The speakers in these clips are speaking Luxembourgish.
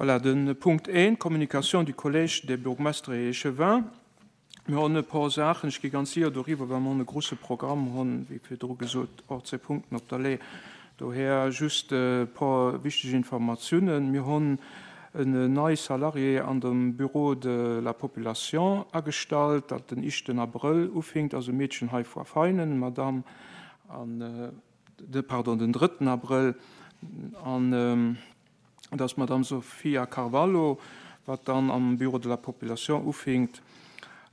Voilà, de Punkt 1, Communication du Collège des bourgmestres et échevins. Mir hunn e por Saachen, ech gi ganz séier doriwwer, well mer hunn e grouse Programm, hunn, wéi virdru gesot, och zwee Punkten op der Lée. Dohier just e por wichteg Informatiounen. Mir hunn en nei Salarié an dem Bureau de la population agestallt, dat den ischten Abrëll ufinkt, ass e Meedchen hei vu Veinen, Madame, an, pardon, den drëtten Abrëll, an, Et ass d'Madame Sofia Carvalho, wat dann am Bureau de la population ufinkt.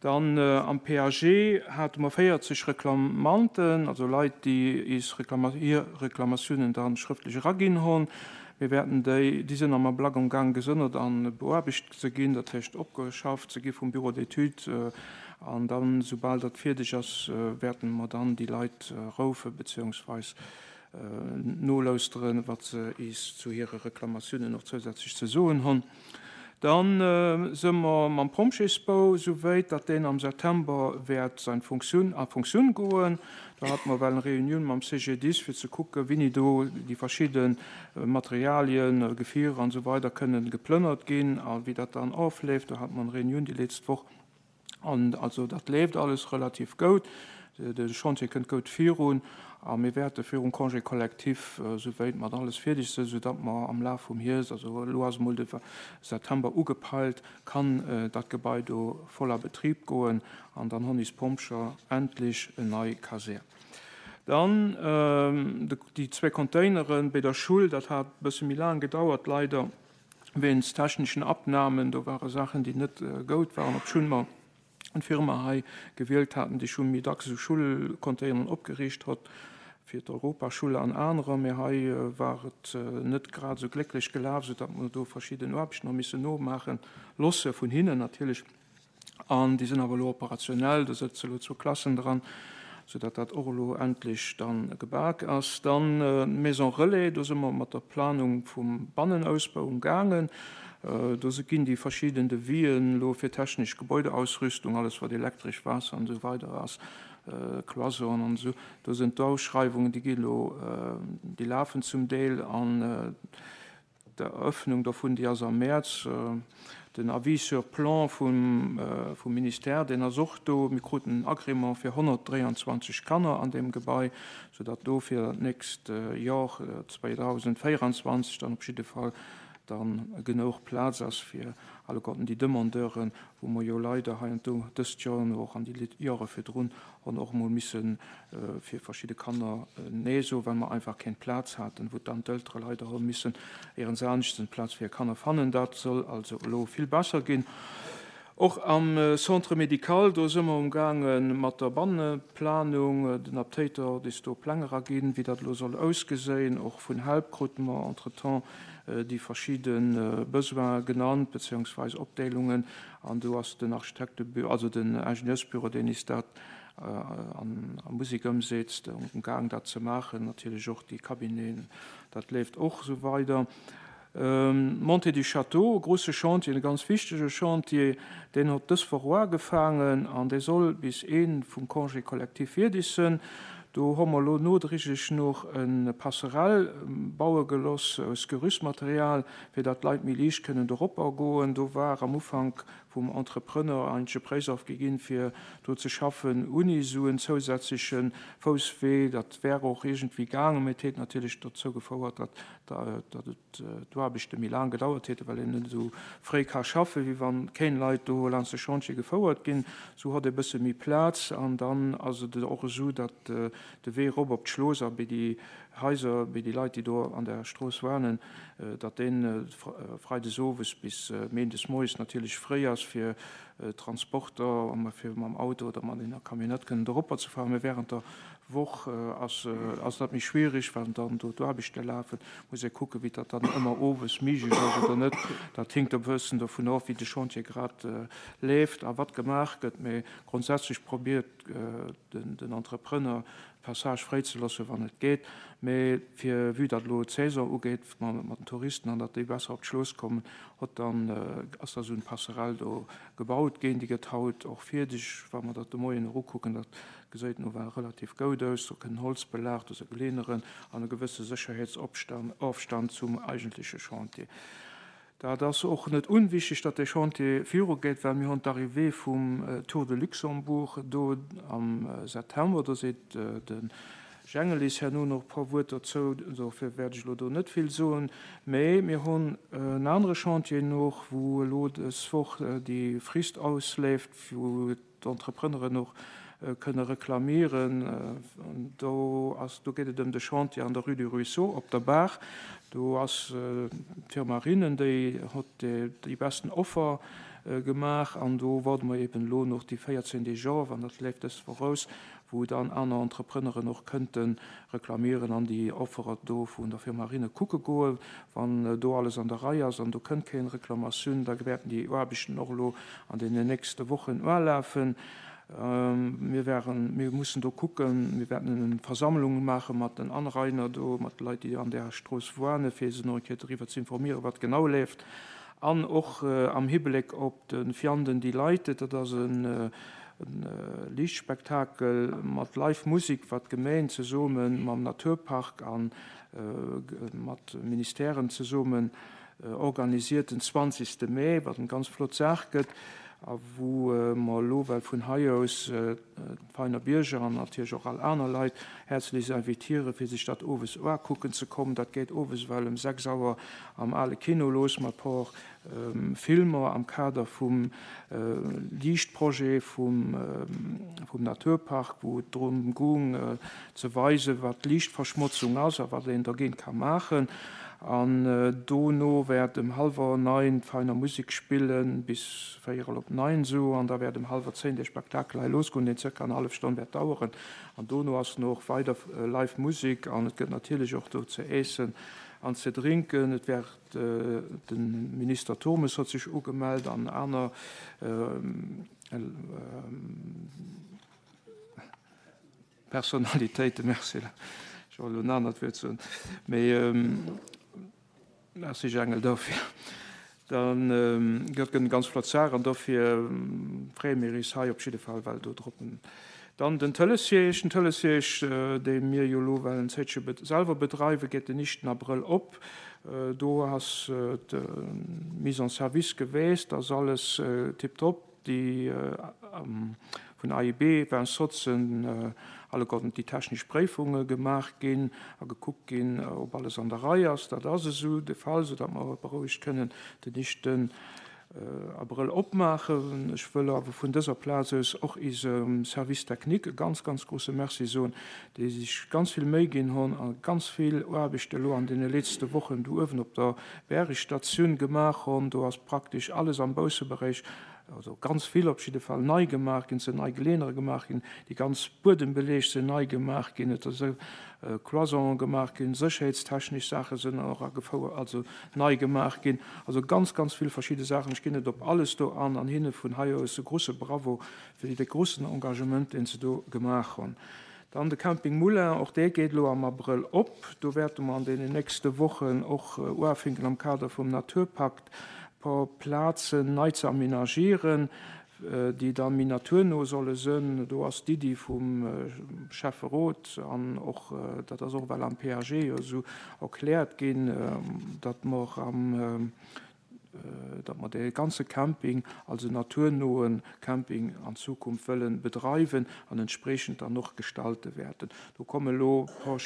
Dann am PAG hate mer 40 Reklamanten, also Leit, déi is hir Reklamatiounen da schrëftlech eraginn hunn. Mir wäerten déi, déi sinn am Ablack am Gaang gesënnert a beaarbecht ze ginn, dat heescht opgeschafft ze gi vum Bureau d'études. An dann, soubal dat fierdeg ass, wäerte mer dann déi Leit roufen, beziehungsweis Nolauschteren, wat se is zu hire Reklamatiounen och zousätzlech ze soen honn. Dann së mer mam Pompjeesbau esou wéit, datt deen am September wäert sein Funktioun, a Funktioun goen. Do hate mer well eng Reunioun mam CGDIS, fir ze kucken, wéini do déi verschidde Materialien, Gefierer an esou weider kënnen geplënnert ginn a wéi dat dann ofleeft. Do hate mer eng Reunioun déi letzt Woch. An also dat leeft alles relativ goud. De Chantier kënnt goud virun a mir wäerte virum Congé collectif souwéit mat alles fierdeg sinn, soudatt mer am Laf vum Hierscht, also elo ass emol de September ugepeilt, kann dat Gebai do voll a Betrib goen an dann honn is Pompjer endlech en nei Kasär. Dann déi zwee Containeren béi der Schull, dat hat e bësse méi laang gedauert leider. Wéinst techneschen Abnahmen, do ware Saachen, déi net goud waren, obschonn mer eng Firma hei gewielt haten, déi scho méi dacks esou Schullcontaineren opgeriicht hott fir d'Europaschulle an anerer, mee hei war et net grad esou glécklech gelaf, soudatt mer do verschidden Aarbechten hu missen nomaache losse vun hinnen natierlech. An déi sinn awer elo operationell, do sëtze elo zwou Klassen dran, soudatt dat och elo endlech da gebak ass. Dann d'Maison Relais, do si mer mat der Planung vum Bannenausbau umgaangen. Do ginn déi verschidden Devisen elo fir technesch Gebäudeausrüstung, alles wat elektresch, Waasser an esou weider ass, Cloison'en an esou, do sinn d'Ausschreiwungen, déi gi elo, déi lafen zum Deel. An D'Eröffnung dovun, déi ass am Mäerz. Den Avis sur plan vum Ministère, deen ass och do. Mir kruten en Agrément fir 123 Kanner an deem Gebai, soudatt do fir dat nächst Jor 2024 dann op jidde Fall dann genouch Plaz ass fir alleguerten déi Demandeuren, wou mer jo leider hei an do dëst Joer an och an déi Jore virdrun Hunn och emol misse fir verschidde Kanner Nee soen, well mer einfach keng Plaz haten, wou dann d'Eltere leider hu missen éierens aneschtens eng Plaz fir hir Kanner fannen. Dat soll also elo vill besser ginn. Och am Centre médical, do si mer umgaange mat der Banneplanung. Den Aptéiter huet is do Pläng eraginn, wéi dat elo soll ausgeséien. Och vun Help krute mer entretemps déi verschidde Besoine genannt, beziehungsweis Opdeelungen. An do ass den Architektebüro, also den Ingenieursbüro, deen is dat a Musek ëmsetzt, um Gaang dat ze maachen. Natierlech och déi Cabineten, dat leeft och esou weider. Montée du Château, e grouse Chantier, e ganz wichtege Chantier, deen hott dës Woch uagefaangen an dee soll bis Een vum Congé collectif fierdeg sënn. Do ho mer elo nodriglech noch e Passerelle baue geloss aus Gerüstmaterial, fir datt d'Leit méi liicht kënnen doropper goen. Do war am Ufank vum Entrepreneur eigentlech e Préisoff gi ginn, fir do ze schaffen ouni esou en zousätzleche Fousswee. Dat wär och iergendwéi gaangen, mee et hätt natierlech dozou gefouert, datt datt et d'Aarbechte méi laang gedauert hätten, well een net esou fréi ka schaffen, wéi wann kéng Leit do laanscht de Chantier gefouert ginn. Esou hott ee bësse méi Plaz an dann ass et och esou, datt de Wee erop op d'Schlooss a bei déi Haiser, bei déi Leit, déi do an der Strooss wanen, datt dee freides owes bis méindes moies natierlech fréi ass fir Transporter, fir mam Auto oder mat enger Camionnette kënnen doropper ze fahren. Mä während der Woch ass ass dat méi schwierig, well dann do d'Aarbechte lafen. Muss ee kucken, wéi dat dann ëmmer owes méiglech ass oder net. Dat hinkt e bëssen dovun of, wéi de Chantier grad leeft a wat gemaach gëtt. Mä grondsätzlech probiert den Entrepreneur d'Passage fréi ze loossen, wann et geet. Mee fir, vue datt elo d'Saison ugeet mat den Touristen an datt déi besser op d'Schlooss kommen, hott dann, ass da esou en Passerelle do gebaut ginn. Déi gëtt haut och fierdeg, wa mer dat de Moien erukucken. Dat geséit nawell relativ goud aus. Do kënn Holzbelag, do si Geleeëneren an e gewësse Sécherheetsofstand zum eigentleche Chantier. Dat ass och net unwichtig, datt dee Chantier virugeet, well mir hunn d'Arrivée vum Tour de Luxembourg do am September. Do seet de Jengelis herno nach e puer Wuert dozou, dofir wäert ech elo do net vill soen. Mä mir hunn en anere Chantier nach, wou elo dës Woch déi Frist ausleeft, wou d'Entrepreneuren och kënne reklamieren. Do ass, do geet et ëm de Chantier an der Rue du Ruisseau op der Baach. Do ass d'Firma Rinnen, déi hott déi besten Offer gemaach an do warde mer eben elo nach déi 14 Deeg of an dat leeft dës Woch aus, wou dann aner Entrepreneuren och kënnte reklamieren an déi Offerer do vun der Firma Rinne kucke goen. Wann do alles an der Rei ass an do kënnt keen Reklamatioun, da wäerten déi Aarbechten och elo an deenen nächste Wochen ulafen. Mir wären, mir mussen do kucken, mir wäerten eng Versammlung maache mat den Anrainer do, mat de Leit, déi an där Strooss wuane, fir se nach eng Kéier doriwwer ze informieren, wat genau leeft. An och am Hibléck op de Vianden Delighted, dat ass e Liichtspektakel mat Live Musik, wat d'Gemeen zesumme mam Naturpark a mat Ministèren zesummen organisiert den 20 Mee, wat eng ganz flott Saach gëtt a wou mer elo well vun hei aus d'Veiner Bierger an natierlech och all aner Leit häerzlechst invitieren, fir sech dat owes uakucken ze kommen. Dat geet owes ewell ëm 6 Auer am ale Kino los mat por Filmer am Kader vum Liichtprojet vum Naturpark, wou et drëm goung ze weisen, wat Liichtverschmotzung ass a wat een dergéint ka maachen. An dono wäert ëm hallwer 9 d'Veiner Musek spillen, bis véierel op 9 esou. An da wäert ëm hallwer 10 dee Spektakel hei losgoen, deen zirka eng hallef Stonn wäert daueren. An dono ass nach weider live Musek an et gëtt natierlech och do ze äessen an ze drinken. Et wäert De Minister Turmes huet sech ugemellt an aner Personalitéiten. Merci, ech wollt elo en anert Wuert soen, mee merci Jangel dofir. Dann gëtt eng ganz flott Saach an dofir freeë mir is hei op jidde Fall well do drop. Dann den Tëlesierg. Den Tëlesierg, dee mir jo elo well en Zéitche selwer bedreiwen, geet den éischten Abrëll op. Do ass d'Mise en service geweest, ass alles tiptop. Déi vun AIB, Vincent, sinn alleguerten déi technesch Préifunge gemaach ginn a gekuckt ginn, ob alles an der Rei ass. Dat ass esou de Fall, soudatt mer berouegt kënnen den éischten Abrëll opmaachen. Ech wëll awer vun dëser Plaz aus och isem Service technique e ganz, ganz grouse Merci soen, déi sech ganz vill Méi ginn hunn a ganz vill Aarbecht elo an deene letzte Wochen do uewen op der Bäregstatioun gemaach hunn. Do ass praktesch alles am Bausseberäich, also ganz vill op jidde Fall, nei gemaach ginn. Et sinn nei Geleeënere gemaach ginn, déi ganz Buedembeleg sinn nei gemaach ginn, et ass Cloisonen gemaach ginn, sécherheetstechnesch Saache sinn och agefouert, also nei gemaach ginn. Also ganz, ganz vill verschidde Saachen. Ech ginn net op alles do an an hinne vun hei aus e grouse Bravo fir dee groussen Engagement, deen se do gemaach hunn. Dann de Camping Moulin, och dee geet elo am Abrëll op. Do wäerte mer an deenen nächste Wochen och uafinken am Kader vum Naturpakt e puer Plazen nei ze aménagieren, déi da méi naturno solle sënn. Do ass d'Iddi vum Schäfferot an och, dat ass och ewell am PAG jo esou erkläert ginn, datt mer am, datt mer dee ganze Camping als en naturnoe Camping an Zukunft wëlle bedreiwen an entspreechend dann och gestalte wäerten. Do komme elo e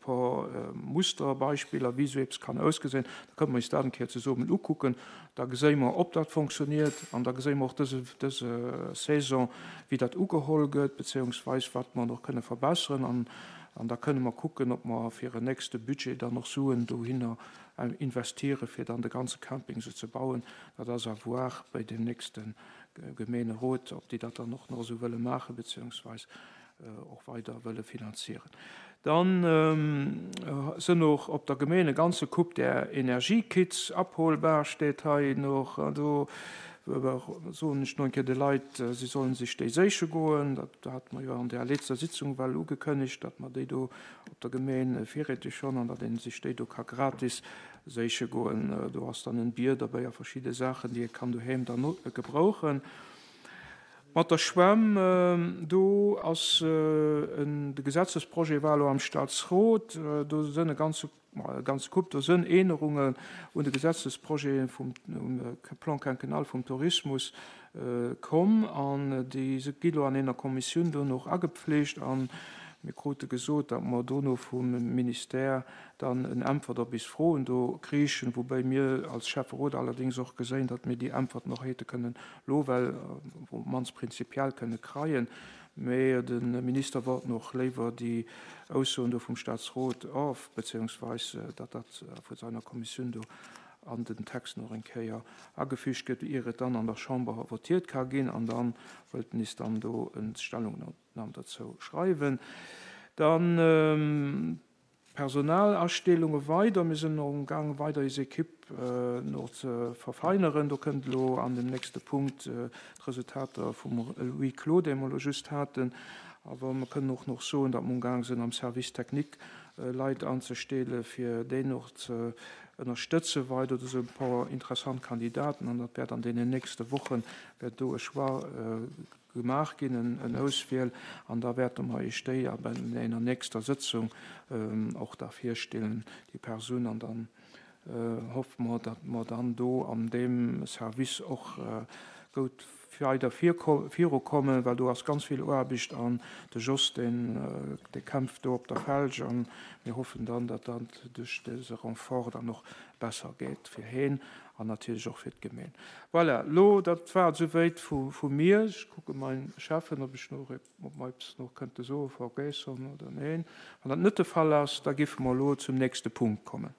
puer Musterbeispiller, wéi esou eppes kann ausgesinn. Da kënne mer eis dat eng Kéier zesummen ukucken. Da geséi mer, ob dat fonctionniert, an da geséi mer och dëse, dëse Saison, wéi dat ugeholl gëtt, beziéungsweis wat mer nach kënne verbesseren. An, an da kënne mer kucken, ob mer fir en nächste Budget dann och Suen dohinner investiere fir dann de ganze Camping esou ze bauen. Dat ass à voir bei deem nächste Gemeenerot, ob déi dat dann och nach esou wëlle maachen, beziéungsweis och weider wëlle finanzieren. Dann sënn och op der Gemeen e ganze Koup där Energiekits abholbar, steet hei nach. Do soen ech no eng Kéier de Leit, si sollen sech déi séiche goen. Dat hate mer jo an där letzter Sitzung well ugekënnegt, datt mer déi do op der Gemeen virräteg hunn an datt ee sech déi do ka gratis séiche goen. Do ass dann en Bier derbäi a verschidde Saachen, déi ee kann doheem dann gebrauchen. Mat der Schwämm, do ass en, de Gesetzesprojet war elo am Staatsrot, do sënn e ganze. e ganze Koup, do sënn Änerungen un de Gesetzesprojete vum Plan quinquennal vum Tourismus komm an déi gi lo an eener Kommissioun dono och agepflegt a mir krute gesot, datt mer dono vum Ministère dann en Äntwert op is Froen do kriichen, woubäi mir als Schäfferot allerdéngs och geséin, datt mir déi Äntwerten och hate kënnen lo well op d'mannst prinzipiell kënne kreien. Mä de Minister wollt och léiwer déi Aussoen do vum Statsrot of, beziehungsweis datt dat vu seiner Kommissioun do an den Text nach eng Kéier agefügt gëtt, ier et dann an der Chamber votiert ka ginn. An da wëllt en is dann do en Stellungnahme dozou schreiwen. Dann Personalasteelunge weider. Mir sinn och amgaang weider eis Equipe no ze verfeineren. Do kënnt elo an dem nächste Punkt d'Resultater vum Huis clos, dee mer elo just haten. Awer mer kënnen och nach soen, datt mer amgaang sinn am Service technique Leit anzesteele fir deen och ze ënnerstëtze weider. Do sinn e puer interessant Kandidaten an dat wäert an deenen nächste Woche wäert do e Choix gemaach ginn, en Auswiel, an da wäerte mer Iech déi a bei enger nächster Sëtzung och da virstellen, déi Persoun, an dann hoffe mer, datt mer dann do an deem Service och goud weider virukommen, well do ass ganz vill Aarbecht an de Jos, deen, dee kämpft do op der Felg a mir hoffen dann, datt dat duerch dëse Renfort dann och besser geet fir heen an natierlech och fir d'Gemeen. Voilà, lo dat war et souwéit vu mir. Ech kucke mein Cheffen, ob ech nach ob mer eppes nach kënnte soe vergéss hunn oder neen. Wann dat net de Fall ass, da giffe mer elo zum nächste Punkt kommen.